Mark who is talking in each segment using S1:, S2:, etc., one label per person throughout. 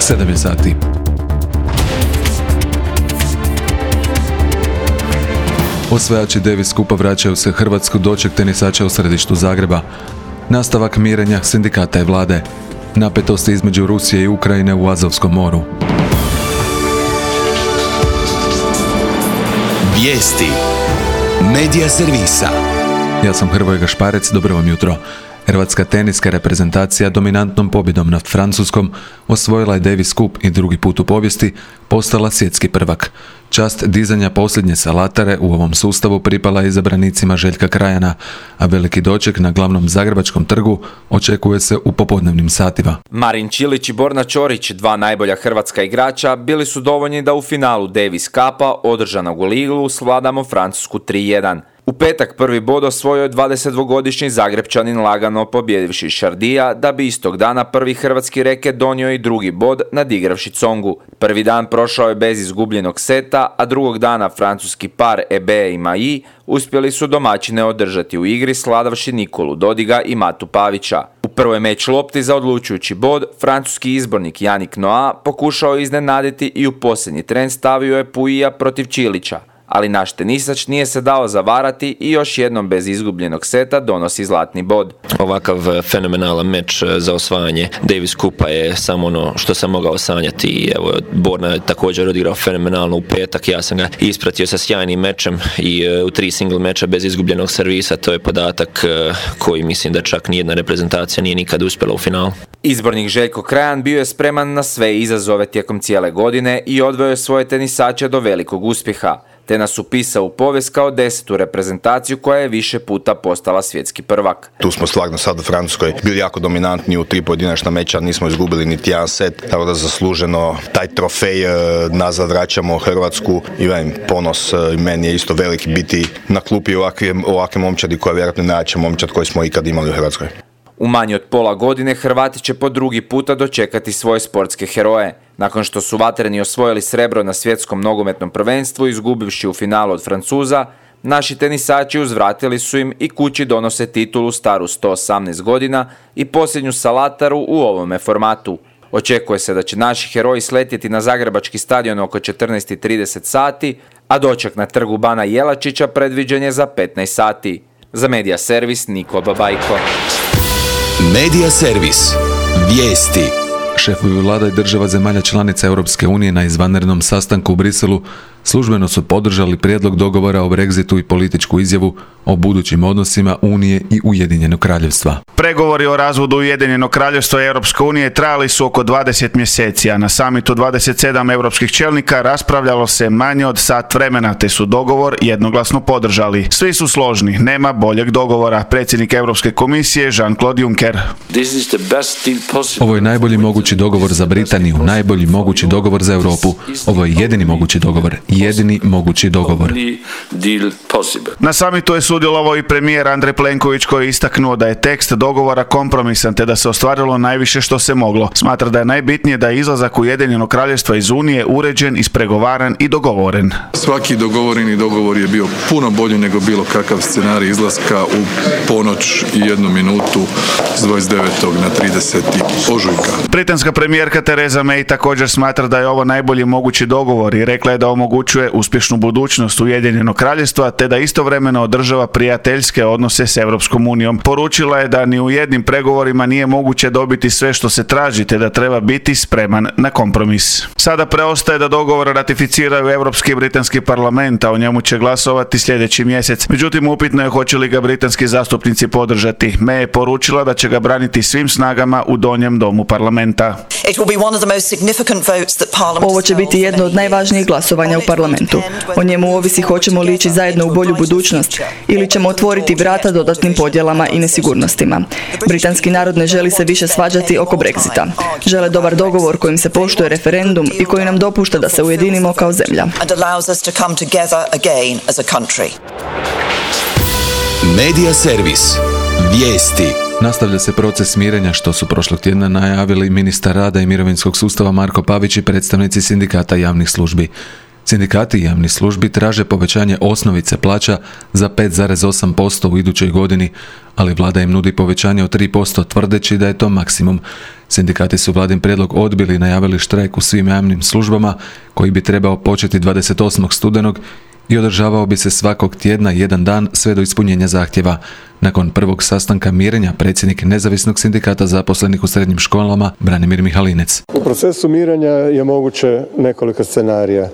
S1: 7 je sati. Osvajači Davis Cupa vraćaju se Hrvatsku, doček tenisača u središtu Zagreba. Nastavak mirenja sindikata i vlade. Napetosti između Rusije i Ukrajine u Azovskom moru.
S2: Vijesti Medija servisa.
S1: Ja sam Hrvoje Gašparec, dobro vam jutro. Hrvatska teniska reprezentacija dominantnom pobjedom nad Francuskom osvojila je Davis Cup i drugi put u povijesti postala svjetski prvak. Čast dizanja posljednje salatare u ovom sustavu pripala je izabranicima Željka Krajana, a veliki doček na glavnom zagrebačkom trgu očekuje se u popodnevnim satima.
S3: Marin Čilić i Borna Ćorić, dva najbolja hrvatska igrača, bili su dovoljni da u finalu Davis Cupa, održanog u Liglu, svladamo Francusku 3-1. U petak prvi bod osvojio je 22-godišnji Zagrebčanin lagano pobjedivši Šardija, da bi istog dana prvi hrvatski reket donio i drugi bod nadigravši Tsongu. Prvi dan prošao je bez izgubljenog seta, a drugog dana francuski par Ebe i Maji uspjeli su domaćine održati u igri sladavši Nikolu Dodiga i Matu Pavića. U prvoj meč lopti za odlučujući bod, francuski izbornik Yannick Noah pokušao iznenaditi i u posljednji tren stavio je Puija protiv Čilića. Ali naš tenisač nije se dao zavarati i još jednom bez izgubljenog seta donosi zlatni bod.
S4: Ovakav fenomenalan meč za osvajanje Davis Cupa je samo ono što sam mogao sanjati i evo, Borna je također odigrao fenomenalno u petak, ja sam ga ispratio sa sjajnim mečem i u 3 single meča bez izgubljenog servisa, to je podatak koji mislim da čak nijedna reprezentacija nije nikad uspjela u finalu.
S3: Izbornik Željko Krajan bio je spreman na sve izazove tijekom cijele godine i odveo je svoje tenisače do velikog uspjeha, te nas upisao u povijest kao 10. reprezentaciju koja je više puta postala svjetski prvak.
S5: Tu smo stvarno sad u Francuskoj bili jako dominantni u 3 pojedinačna meča, nismo izgubili niti jedan set, tako da zasluženo taj trofej nazad vraćamo Hrvatsku i ponos meni je isto veliki biti na klupi ovakve momčadi koja je vjerojatno najjača momčad koju smo ikad imali u Hrvatskoj.
S3: U manje od pola godine Hrvati će po drugi puta dočekati svoje sportske heroje. Nakon što su vatreni osvojili srebro na svjetskom nogometnom prvenstvu izgubivši u finalu od Francuza, naši tenisači uzvratili su im i kući donose titulu staru 118 godina i posljednju salataru u ovome formatu. Očekuje se da će naši heroji sletjeti na zagrebački stadion oko 14:30 sati, a doček na trgu Bana Jelačića predviđen je za 15 sati. Za Medija servis Niko Babajko.
S2: Medija servis. Vijesti.
S1: Šefovi vlada i država zemalja članica Europske unije na izvanrednom sastanku u Briselu službeno su podržali prijedlog dogovora o Brexitu i političku izjavu o budućim odnosima Unije i Ujedinjenog kraljevstva.
S6: Pregovori o razvodu Ujedinjenog kraljevstva i Europske unije trajali su oko 20 mjeseci, a na samitu 27 europskih čelnika raspravljalo se manje od sat vremena, te su dogovor jednoglasno podržali. Svi su složni, nema boljeg dogovora, predsjednik Europske komisije Jean-Claude Juncker.
S1: Ovo je najbolji mogući dogovor za Britaniju, najbolji mogući dogovor za Europu. Ovo je jedini mogući dogovor. Jedini mogući dogovor.
S6: Na samitu je sudjelovao i premijer Andrej Plenković koji je istaknuo da je tekst dogovora kompromisan te da se ostvarilo najviše što se moglo. Smatra da je najbitnije da je izlazak Ujedinjenog kraljevstva iz Unije uređen, ispregovaran i dogovoren.
S7: Svaki dogovoreni dogovor je bio puno bolji nego bilo kakav scenarij izlaska u ponoć i 1 minutu s 29. na 30. ožujka.
S6: Britanska premijerka Theresa May također smatra da je ovo najbolji mogući dogovor i rekla je da omogućuje uspješnu budućnost Ujedinjenog kraljevstva te da istovremeno održava prijateljske odnose s Europskom unijom. Poručila je da ni u jednim pregovorima nije moguće dobiti sve što se traži te da treba biti spreman na kompromis. Sada preostaje da dogovor ratificiraju Europski i Britanski parlament, a o njemu će glasovati sljedeći mjesec. Međutim, upitno je hoće li ga britanski zastupnici podržati. May je poručila da će ga braniti svim snagama u donjem domu parlamenta.
S8: Ovo će biti jedno od najvažnijih glasovanja u parlamentu. O njemu ovisi hoćemo li ići zajedno u bolju budućnost ili ćemo otvoriti vrata dodatnim podjelama i nesigurnostima. Britanski narod ne želi se više svađati oko Brexita. Žele dobar dogovor kojim se poštuje referendum i koji nam dopušta da se ujedinimo kao zemlja.
S2: Medija servis. Vijesti.
S1: Nastavlja se proces mirenja što su prošlog tjedna najavili ministar rada i mirovinskog sustava Marko Pavić i predstavnici sindikata javnih službi. Sindikati javnih službi traže povećanje osnovice plaća za 5,8% u idućoj godini, ali vlada im nudi povećanje od 3% tvrdeći da je to maksimum. Sindikati su vladin prijedlog odbili i najavili štrajk u svim javnim službama koji bi trebao početi 28. studenog i održavao bi se svakog tjedna jedan dan sve do ispunjenja zahtjeva. Nakon prvog sastanka mirenja predsjednik nezavisnog sindikata zaposlenih u srednjim školama Branimir Mihalinec.
S9: U procesu mirenja je moguće nekoliko scenarija.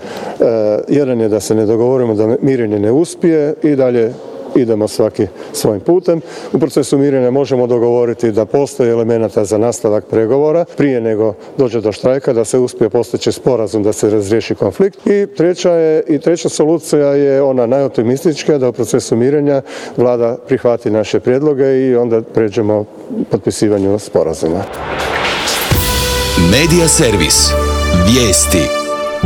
S9: Jedan je da se ne dogovorimo, da mirenje ne uspije i dalje idemo svaki svojim putem. U procesu mirenja možemo dogovoriti da postoji elemenata za nastavak pregovora prije nego dođe do štrajka, da se uspije postići sporazum da se razriješi konflikt. I treća solucija je ona najoptimistička, da u procesu mirenja vlada prihvati naše prijedloge i onda pređemo potpisivanju sporazuma.
S2: Medija servis. Vijesti.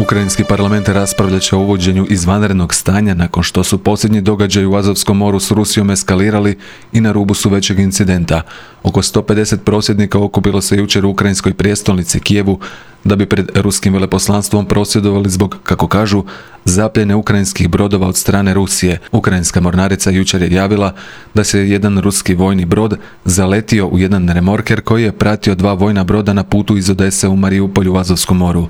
S1: Ukrajinski parlament raspravljat će o uvođenju izvanrednog stanja nakon što su posljednji događaji u Azovskom moru s Rusijom eskalirali i na rubu su većeg incidenta. Oko 150 prosvjednika okupilo se jučer u ukrajinskoj prijestolnici Kijevu da bi pred ruskim veleposlanstvom prosvjedovali zbog, kako kažu, zapljene ukrajinskih brodova od strane Rusije. Ukrajinska mornarica jučer je javila da se jedan ruski vojni brod zaletio u jedan remorker koji je pratio dva vojna broda na putu iz Odese u Marijupolju u Azovskom moru.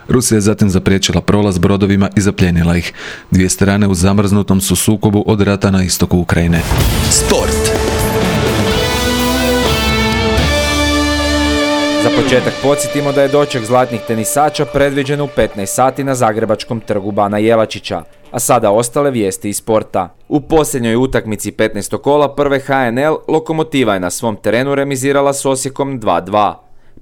S1: Rusija je zatim zapriječila prolaz brodovima i zapljenila ih. Dvije strane u zamrznutom su sukobu od rata na istoku Ukrajine.
S2: Sport.
S3: Za početak podsjetimo da je doček zlatnih tenisača predviđen u 15 sati na zagrebačkom trgu Bana Jelačića. A sada ostale vijesti iz sporta. U posljednjoj utakmici 15. kola prve HNL Lokomotiva je na svom terenu remizirala s Osijekom 2:2.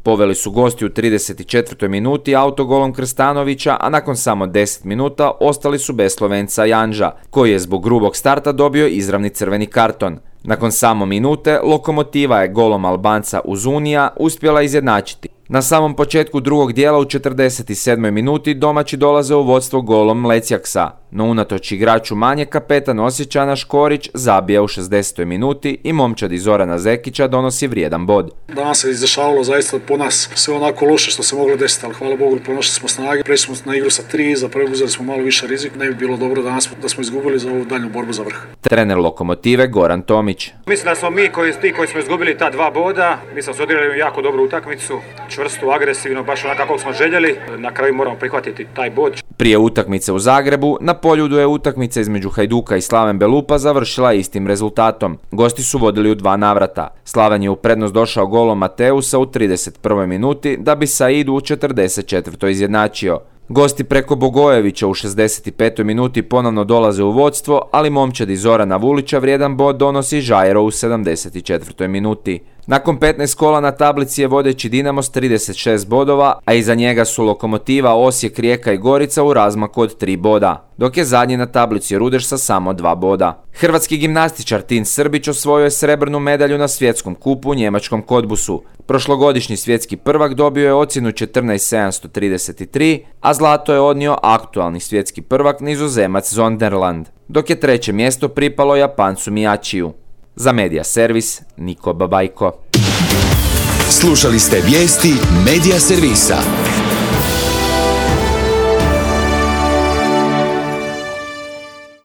S3: Poveli su gosti u 34. minuti autogolom Krstanovića, a nakon samo 10 minuta ostali su bez Slovenca Janža, koji je zbog grubog starta dobio izravni crveni karton. Nakon samo minute, Lokomotiva je golom Albanca Uzunija uspjela izjednačiti. Na samom početku drugog dijela u 47. minuti domaći dolaze u vodstvo golom Lecjaksa, no unatoč igraču manje kapetan Osječana Škorić zabija u 60. minuti i momčad Zorana Zekića donosi vrijedan bod.
S10: Danas se izdešavalo zaista po nas sve onako loše što se moglo desiti, ali hvala Bogu pronašli smo snage, prešli smo na igru sa 3, preuzeli smo malo više rizik, ne bi bilo dobro danas da smo izgubili za ovu daljnju borbu za vrh.
S3: Trener Lokomotive Goran Tomić.
S11: Mislim da smo mi koji smo izgubili ta 2 boda, mislim da smo odigrali jako dobru utakmicu, čvrstu, agresivno, baš onako kako smo željeli. Na kraju moramo prihvatiti taj bod.
S3: Prije utakmice u Zagrebu, na Poljudu je utakmica između Hajduka i Slaven Belupa završila istim rezultatom. Gosti su vodili u 2 navrata. Slaven je u prednost došao golom Mateusa u 31. minuti, da bi Saidu u 44. izjednačio. Gosti preko Bogojevića u 65. minuti ponovno dolaze u vodstvo, ali momčadi Zorana Vulića vrijedan bod donosi Žajero u 74. minuti. Nakon 15 kola na tablici je vodeći Dinamo s 36 bodova, a iza njega su Lokomotiva, Osijek, Rijeka i Gorica u razmaku od 3 boda, dok je zadnji na tablici Rudeš sa samo 2 boda. Hrvatski gimnastičar Tin Srbić osvojio je srebrnu medalju na svjetskom kupu u njemačkom Kodbusu. Prošlogodišnji svjetski prvak dobio je ocjenu 14.733, a zlato je odnio aktualni svjetski prvak Nizozemac Zonderland, dok je treće mjesto pripalo Japancu Mijačiju. Za Medija servis, Niko Babajko.
S2: Slušali ste vijesti Medija servisa.